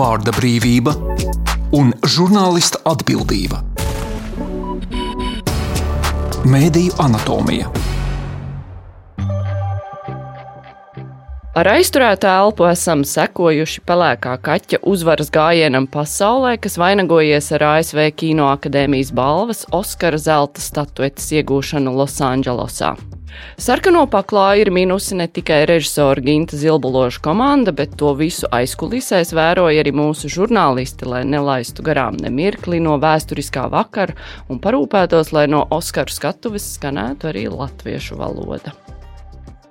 vārda brīvība un žurnālista atbildība. Mēdīju anatomija. Ar aizturētu elpu esam sekojuši pelēkā kaķa uzvaras gājienam pasaulē, kas vainagojies ar ASV Kino akadēmijas balvas Oskara zelta statuetes iegūšanu Losandželosā. Sarkano paklāju ir minusi ne tikai režisora Ginta Zilbuloša komanda, bet to visu aizkulisēs vēroja arī mūsu žurnālisti, lai nelaistu garām ne mirkli no vēsturiskā vakara un parūpētos, lai no Oskaru skatuves skanētu arī latviešu valoda.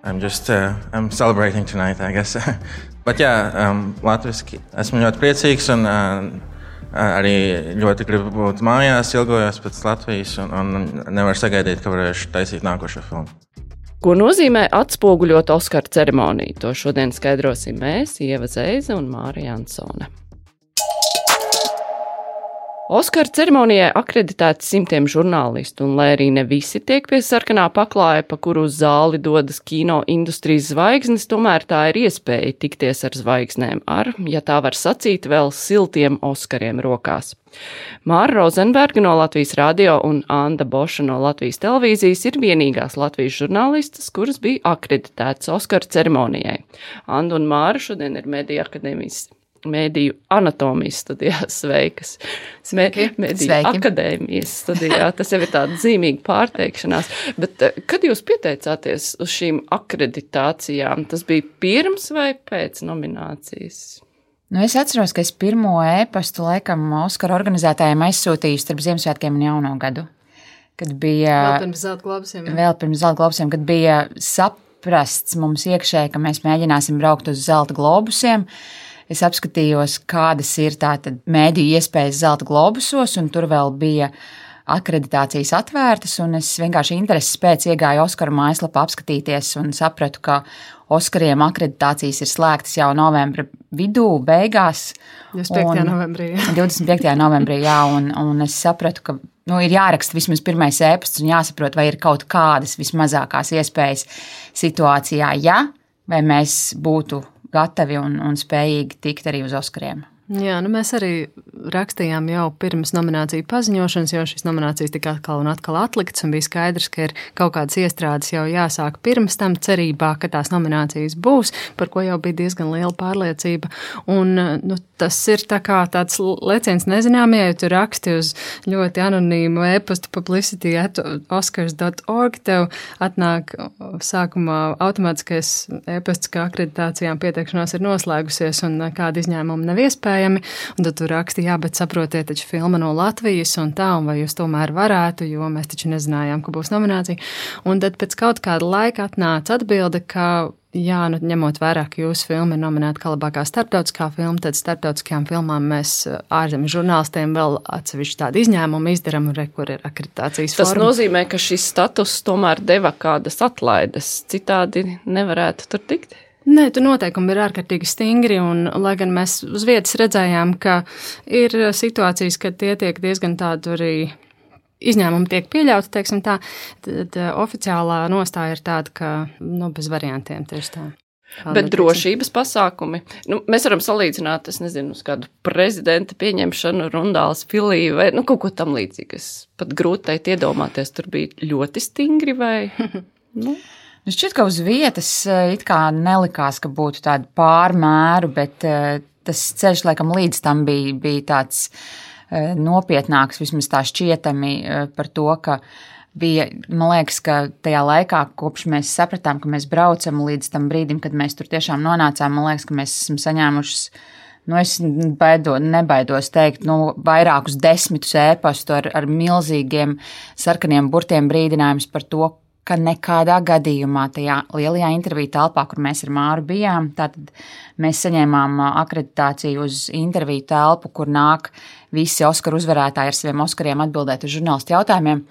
I'm celebrating tonight, I guess. But latviski esmu ļoti priecīgs un arī ļoti gribu būt mājās, ilgojos pēc Latvijas un nevaru sagaidīt, ka varēšu taisīt nākošo filmu. Ko nozīmē atspoguļot Oskaru ceremoniju? To šodien skaidrosim mēs, Ieva Zeize un Māra Jansone. Oskaru ceremonijai akreditēti simtiem žurnālistu, un lai arī ne visi tiek pie sarkanā paklāja, pa kuru uz zāli dodas kino industrijas zvaigznes, tomēr tā ir iespēja tikties ar zvaigznēm ar, ja tā var sacīt, vēl siltiem Oskariem rokās. Māra Rozenberga no Latvijas radio un Anda Boša no Latvijas televīzijas ir vienīgās Latvijas žurnālistas, kuras bija akreditētas Oskaru ceremonijai. Anda un Māra šodien ir Mēdīju anatomijas studijā. Sveikas. Mēdīju akadēmijas studijā. Tas jau ir tāda zīmīga pārteikšanās. Bet kad jūs pieteicāties uz šīm akreditācijām, tas bija pirms vai pēc nominācijas? Es atceros, ka es pirmo ēpastu laikam Oskaru organizētājiem aizsūtīju starp Ziemassvētkiem un Jauno gadu. Kad bija Vēl pirms Zelta globusiem, kad bija saprasts mums iekšēji, ka mēs mēģināsim braukt uz Zelta globusiem. Es apskatījos, kādas ir tātad mēdīju iespējas Zelta globusos, un tur vēl bija akreditācijas atvērtas, un es vienkārši intereses pēc iegāju Oskaru mājaslapā apskatīties un sapratu, ka Oskariem akreditācijas ir slēgtas jau novembra vidū, beigās. 25. novembrī. 25. novembrī, jā, un es sapratu, ka ir jāraksta vismaz pirmais ēpasts un jāsaprot, vai ir kaut kādas vismazākās iespējas situācijā, vai mēs būtu gatavi un spējīgi tikt arī uz Oskariem. Jā, mēs arī rakstījām jau pirms nomināciju paziņošanas, jo šīs nominācijas tika atkal un atkal atliktas, un bija skaidrs, ka ir kaut kādas iestrādes jau jāsāk pirms tam cerībā, ka tās nominācijas būs, par ko jau bija diezgan liela pārliecība. Un tas ir tā kā tāds leciens nezināmie, ja tu raksti uz ļoti anonīmu e-pastu publicity@oscars.org, tev atnāk sākumā automātiskais e-pasts, ka akreditācijām pieteikšanās ir noslēgusies un kāda izņēmuma nav iespēja. Un tad tu raksti, bet saprotiet, taču filma no Latvijas un vai jūs tomēr varētu, jo mēs taču nezinājām, ka būs nominācija. Un tad pēc kaut kāda laika atnāca atbilde, ka, ņemot vērā, ka jūsu filma ir nominēta kā labākā starptautiskā filma, tad starptautiskajām filmām mēs ārzemju žurnālistiem vēl atsevišķi tādu izņēmumu izdaram, kur ir akreditācijas forma. Tas nozīmē, ka šis status tomēr deva kādas atlaides, citādi nevarētu tur tikt? Nē, tu noteikumi ir ārkārtīgi stingri, un lai gan mēs uz vietas redzējām, ka ir situācijas, kad tie tiek diezgan tādu arī izņēmumi tiek pieļauti, teiksim tā, tad oficiālā nostāja ir tāda, ka bez variantiem tieši tā. Bet drošības pasākumi, mēs varam salīdzināt, es nezinu, uz kādu prezidenta pieņemšanu, Rundāls filī vai kaut ko tam līdzīgu. Pat grūti teikt iedomāties, tur bija ļoti stingri vai? Šķiet, ka uz vietas it kā nelikās, ka būtu tāda pārmēru, bet tas ceļš, laikam, līdz tam bija tāds nopietnāks, vismaz tā šķietami par to, ka bija, man liekas, ka tajā laikā, kopš mēs sapratām, ka mēs braucam līdz tam brīdim, kad mēs tur tiešām nonācām, man liekas, ka mēs esam saņēmušas, es nebaidos teikt, vairākus 10 ēpastu ar milzīgiem sarkaniem burtiem brīdinājums par to, ka nekādā gadījumā tajā lielajā interviju telpā, kur mēs ar Māru bijām, tātad mēs saņēmām akreditāciju uz interviju telpu, kur nāk visi Oskaru uzvarētāji ar saviem Oskariem atbildēt uz žurnālistu jautājumiem.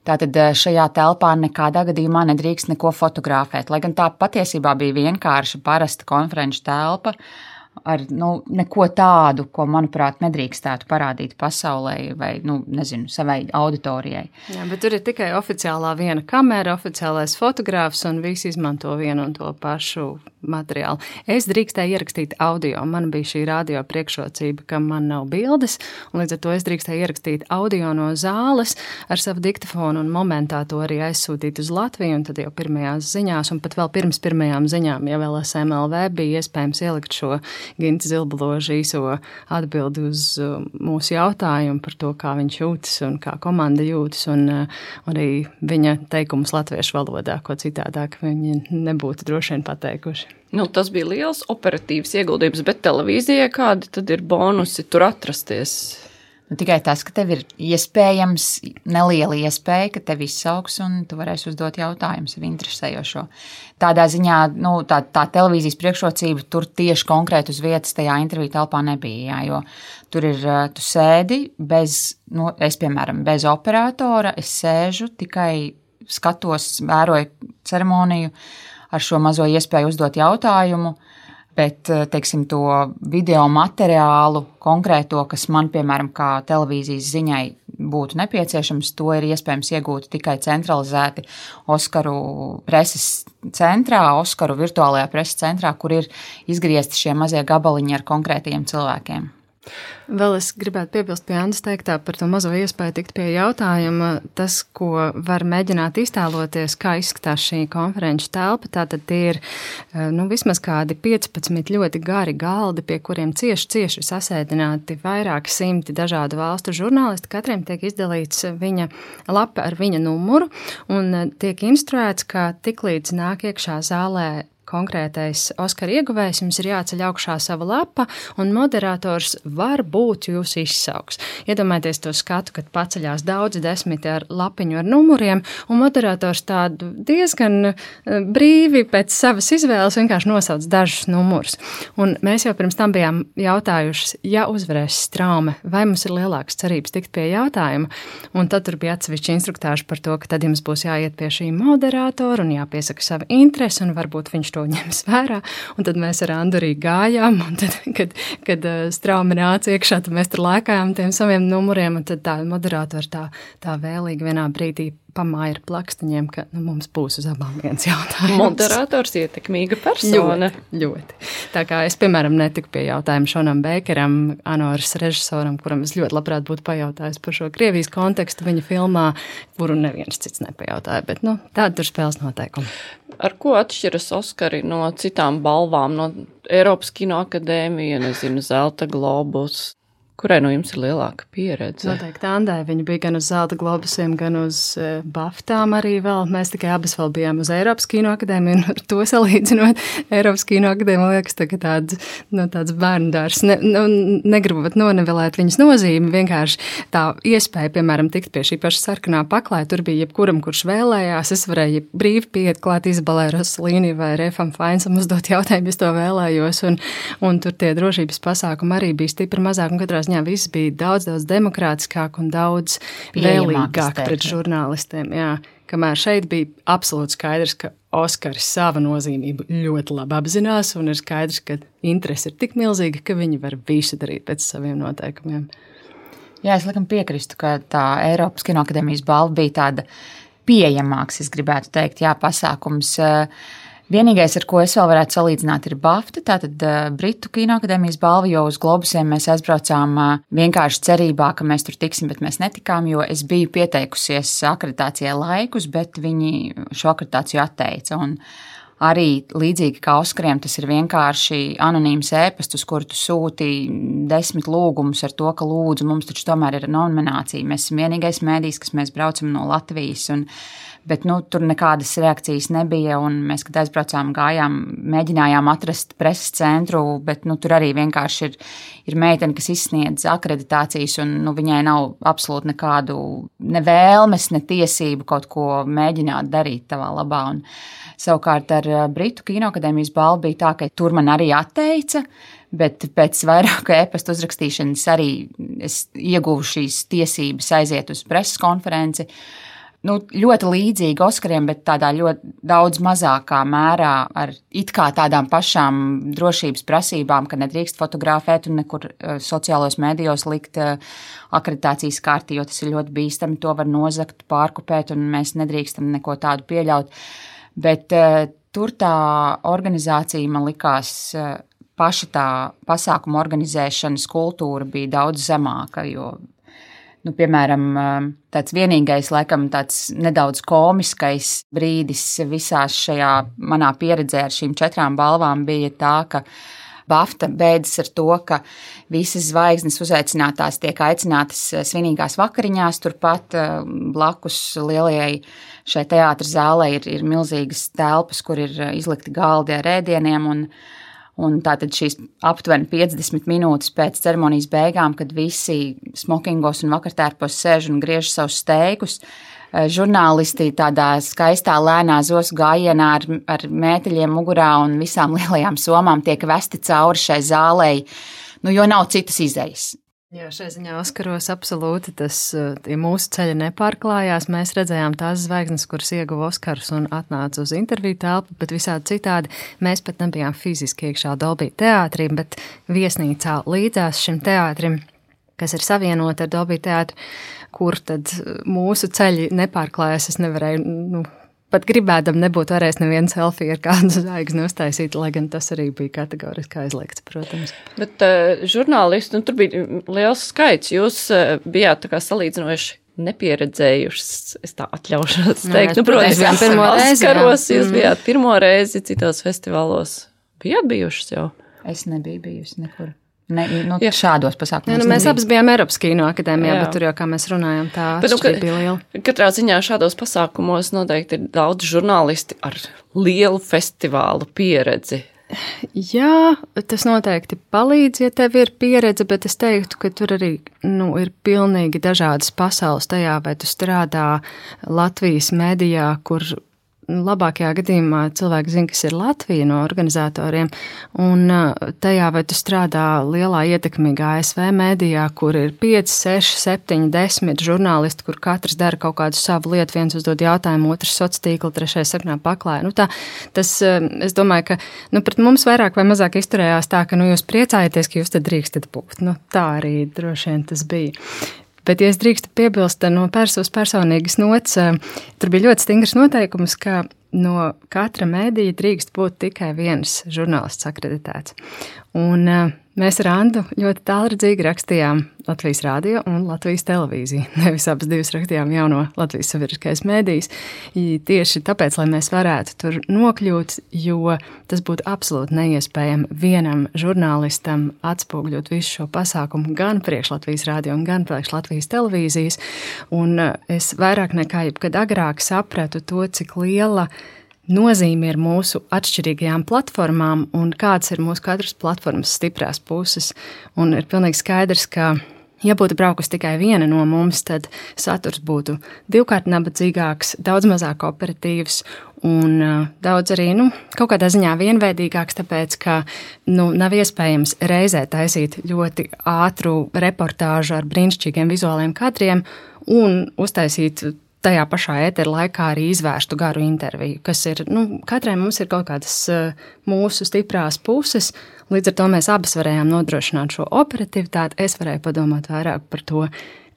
Tātad šajā telpā nekādā gadījumā nedrīkst neko fotografēt, lai gan tā patiesībā bija vienkārša parasta konferenču telpa, ar neko tādu, ko, manuprāt, nedrīkstētu parādīt pasaulē vai, savai auditorijai. Jā, bet tur ir tikai oficiālā viena kamera, oficiālais fotogrāfs un visi izmanto vienu un to pašu materiālu. Es drīkstēju ierakstīt audio. Man bija šī radio priekšrocība, ka man nav bildes, un līdz ar to es drīkstēju ierakstīt audio no zāles ar savu diktafonu un momentā to arī aizsūtīt uz Latviju, un tad jau pirmajās ziņās, un pat vēl pirms pirmajām ziņām, ja vēl SMLV bija iespējams ielikt šo Ginta Zilbaloža īso atbildi uz mūsu jautājumu par to, kā viņš jūtas un kā komanda jūtas, un arī viņa teikumus latviešu valodā, ko citādāk viņi nebūtu droši vien pateikuši. Tas bija liels operatīvs ieguldījums, bet televīzijai kādi tad ir bonusi tur atrasties? Tikai tas, ka tev ir iespējams, neliela iespēja, ka tev izsauks un tu varēsi uzdot jautājumus sev interesējošo. Tādā ziņā, tā televīzijas priekšrocība tur tieši konkrēti uz vietas tajā interviju telpā nebija, jā, jo tur ir, tu sēdi bez, es piemēram, bez operatora, es sēžu, tikai skatos, vēroju ceremoniju ar šo mazo iespēju uzdot jautājumu, bet, teiksim, to video materiālu konkrēto, kas man, piemēram, kā televīzijas ziņai būtu nepieciešams, to ir iespējams iegūt tikai centralizēti Oskaru preses centrā, Oskaru virtuālajā preses centrā, kur ir izgriezti šie mazie gabaliņi ar konkrētajiem cilvēkiem. Vēl es gribētu piebilst pie Andas teiktā par to mazo iespēju tikt pie jautājuma. Tas, ko var mēģināt iztēloties, kā izskatās šī konferenču telpa, tātad tie ir vismaz kādi 15 ļoti gari galdi, pie kuriem cieši sasēdināti vairāki simti dažādu valstu žurnālisti. Katram tiek izdalīts viņa lapa ar viņa numuru un tiek instruēts, ka tiklīdz nāk iekšā zālē konkrētais Oskara ieguvējs, jums ir jāceļ augšā sava lapa, un moderators var būt jūs izsauks. Iedomājieties to skatu, kad paceļās daudzi desmiti ar lapiņu ar numuriem, un moderators tādu diezgan brīvi pēc savas izvēles vienkārši nosauc dažus numurus. Un mēs jau pirms tam bijām jautājušas, ja uzvarēs Straume, vai mums ir lielākas cerības tikt pie jautājuma, un tad tur bija atsevišķi instruktāži par to, ka tad jums būs jāiet pie šī moderatora un jāpiesaka sava interese, un varbūt viņš to ņems vērā, un tad mēs ar Andu arī gājām, un tad, kad Straume nāca iekšā, tad mēs tur lēkājām tiem saviem numuriem, un tad tā moderatora tā vēlīgi vienā brīdī pamāja ar plakstiņiem, ka mums būs uz abām viens jautājums. Moderators ietekmīga persona. Ļoti. Tā kā es, piemēram, netiku pie jautājuma Šonam Beikeram, Anoras režisoram, kuram es ļoti labprāt būtu pajautājis par šo Krievijas kontekstu viņa filmā, kuru neviens cits nepajautāja, bet tāda tur spēles noteikumi. Ar ko atšķiras Oskari no citām balvām, no Eiropas kinoakadēmija, Zelta globus? Kurai no jums ir lielāka pieredze? Noteikti Andai. Viņa bija gan uz Zelta globusiem, gan uz Baftām arī vēl. Mēs tikai abas vēl bijām uz Eiropas kinoakadēmiju, un ar to salīdzinot, Eiropas kinoakadēmija liekas tagad tāds bērndārs. Negribu pat nonivelēt viņas nozīmi, vienkārši tā iespēja, piemēram, tikt pie šī paša sarkanā paklāja, tur bija jebkuram, kurš vēlējās, es varēju brīvi pieiet klāt Izabelai Rosalīni vai Refam Fainsam uzdot jautājumu, es to vēlējos, un tur tie drošības pasākumi arī bija stipri mazāk, un katrā ziņā viss bija daudz demokrātiskāk un daudz vēlīgāk pret žurnālistiem. Jā, kamēr šeit bija absolūti skaidrs, ka Oskari sava nozīmību ļoti labi apzinās, un ir skaidrs, ka interese ir tik milzīga, ka viņi var visu darīt pēc saviem noteikumiem. Jā, es laikam piekristu, ka tā Eiropas kinoakadēmijas balva bija tāda pieejamāks, es gribētu teikt, pasākums. Vienīgais, ar ko es vēl varētu salīdzināt, ir BAFTA, tātad Britu kinoakadēmijas balva, jo uz globusiem mēs aizbraucām vienkārši cerībā, ka mēs tur tiksim, bet mēs netikām, jo es biju pieteikusies akreditācijai laikus, bet viņi šo akreditāciju atteica. Un arī līdzīgi kā Oskariem, tas ir vienkārši anonīms ēpasts, uz kuru tu sūti 10 lūgumus ar to, ka lūdzu, mums taču tomēr ir nominācija. Mēs esam vienīgais mēdījis, kas mēs braucam no Latvijas, bet tur nekādas reakcijas nebija, un mēs, kad aizbraucām, gājām, mēģinājām atrast preses centru, bet tur arī vienkārši ir meitene, kas izsniedz akreditācijas, un viņai nav absolūti nekādu ne vēlmes, ne tiesību kaut ko mēģināt darīt tavā labā. Un savukārt ar Britu kinoakadēmijas balvu bija tā, ka tur man arī atteica, bet pēc vairāku e-pastu uzrakstīšanas arī es ieguvu šīs tiesības aiziet uz preses konferenci. ļoti līdzīgi Oskariem, bet tādā ļoti daudz mazākā mērā ar it kā tādām pašām drošības prasībām, ka nedrīkst fotografēt un nekur sociālos mēdījos likt akreditācijas karti, jo tas ir ļoti bīstami, to var nozagt, pārkopēt, un mēs nedrīkstam neko tādu pieļaut. Bet tur tā organizācija, man likās, paša tā pasākuma organizēšanas kultūra bija daudz zemāka, jo piemēram, tāds vienīgais, laikam, tāds nedaudz komiskais brīdis visās šajā manā pieredzē ar šīm 4 balvām bija tā, ka BAFTA beidzas ar to, ka visas zvaigznes uzaicinātās tiek aicinātas svinīgās vakariņās, turpat blakus lielajai šai teātra zālē ir milzīgas telpas, kur ir izlikti galdi ar ēdieniem, un tātad šīs aptuveni 50 minūtes pēc ceremonijas beigām, kad visi smokingos un vakartērpos sēž un griež savus steikus, žurnālisti tādā skaistā lēnā zosu gājienā ar mēteļiem mugurā un visām lielajām somām tiek vesti cauri šai zālei, jo nav citas izejas. Jā, šai ziņā Oskaros absolūti tie mūsu ceļi nepārklājās. Mēs redzējām tās zvaigznes, kuras ieguva Oskarus un atnāca uz interviju telpu, bet visādi citādi mēs pat nebijām fiziski iekšā Dolby teātrī, bet viesnīcā līdzās šim teātrim, kas ir savienota ar Dolby teātru, kur tad mūsu ceļi nepārklājās. Es nevarēju, pat gribēdam nebūtu varējis nevienu selfiju ar kādu zvaigzni uztaisīt, lai gan tas arī bija kategoriski aizliegts, protams. Bet žurnālisti, tur bija liels skaits. Jūs bijāt tā kā salīdzinoši nepieredzējušas, es tā atļaušos teikt. Protams, pirmo reizi. Oskaros, jūs bijāt pirmo reizi citos festivālos. Bijāt bijušas jau? Es nebiju bijusi nekur. Šādos pasākumos. Mēs abas bijām Eiropas kino akadēmijā, bet tur jau, kā mēs runājam, tā atšķirība bija liela. Katrā ziņā šādos pasākumos noteikti ir daudz žurnālisti ar lielu festivālu pieredzi. Jā, tas noteikti palīdz, ja tev ir pieredze, bet es teiktu, ka tur arī ir pilnīgi dažādas pasaules tajā, vai tu strādā Latvijas medijā, kur labākajā gadījumā cilvēki zina, kas ir Latvija no organizatoriem, un tajā, vai tu strādā lielā ietekmīgā ASV mēdījā, kur ir 5, 6, 7, 10 žurnālisti, kur katrs dara kaut kādu savu lietu, viens uzdod jautājumu, otrs sociālā tīkla, trešais sarunā paklāja. Es domāju, ka pret mums vairāk vai mazāk izturējās tā, ka jūs priecājaties, ka jūs te drīkstat būt. Tā arī droši vien tas bija. Bet, ja es drīkstu piebilst no personīgas nots, tur bija ļoti stingrs noteikums, ka no katra mēdīja drīkst būt tikai viens žurnālists akreditēts. Un mēs ar Andu ļoti tālredzīgi rakstījām Latvijas radio un Latvijas televīziju. Nevis abas divas rakstījām jauno Latvijas sabiedriskais mēdījis. Tieši tāpēc, lai mēs varētu tur nokļūt, jo tas būtu absolūti neiespējami vienam žurnālistam atspūgļot visu šo pasākumu gan priekš Latvijas radio un gan priekš Latvijas televīzijas. Un es vairāk nekā jebkad agrāk sapratu to, cik liela nozīme ir mūsu atšķirīgajām platformām un kāds ir mūsu katras platformas stiprās puses. Un ir pilnīgi skaidrs, ka, ja būtu braukusi tikai viena no mums, tad saturs būtu divkārt nabadzīgāks, daudz mazāk operatīvs un daudz arī, kaut kādā ziņā vienveidīgāks, tāpēc, ka, nav iespējams reizē taisīt ļoti ātru reportāžu ar brīnišķīgiem vizuāliem kadriem un uztaisīt tajā pašā ētera laikā arī izvērstu garu interviju, kas ir, katrai mums ir kaut kādas mūsu stiprās puses, līdz ar to mēs abas varējām nodrošināt šo operativitāti. Es varēju padomāt vairāk par to,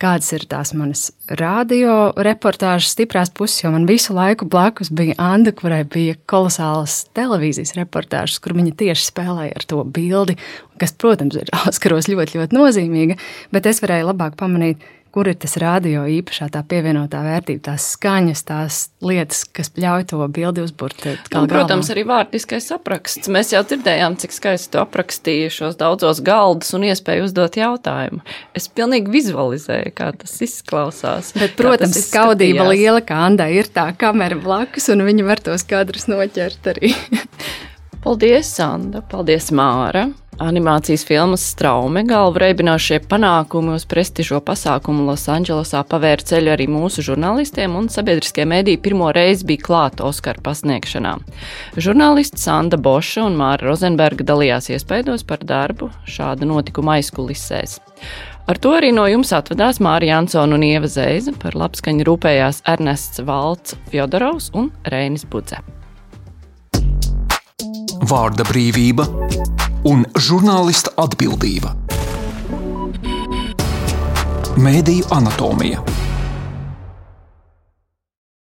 kādas ir tās manas radio reportāžas stiprās puses, jo man visu laiku blakus bija Anda, kurai bija kolosālas televīzijas reportāžas, kur viņa tieši spēlēja ar to bildi, kas, protams, ir Oskaros ļoti, ļoti nozīmīga, bet es varēju labāk pamanīt, kur ir tas radio īpašā tā pievienotā vērtība, tās skaņas, tās lietas, kas ļauj to bildi uzburt. Protams, arī vārdiskais apraksts. Mēs jau dzirdējām, cik skaisti tu aprakstīji šos daudzos galdus un iespēju uzdot jautājumu. Es pilnīgi vizualizēju, kā tas izklausās. Bet, protams, skaudība liela, kā Andai ir tā kamera blakus, un viņa var tos kadrus noķert arī. Paldies, Anda. Paldies, Māra. Animācijas filmas Straume galvu reibinošie panākumi uz prestižo pasākumu Losandželosā pavēra ceļu arī mūsu žurnālistiem, un sabiedriskie mediji pirmo reizi bija klāta Oskara pasniegšanā. Žurnālisti Sanda Boša un Māra Rozenberga dalījās iespaidos par darbu šāda notikuma aizkulisēs. Ar to arī no jums atvadās Māra Jansona un Ieva Zeize, par labskaņu rūpējās Ernests Valts Fjodorovs un Reinis Budze. Vārda brīvība un žurnālista atbildība. Mēdīju anatomija.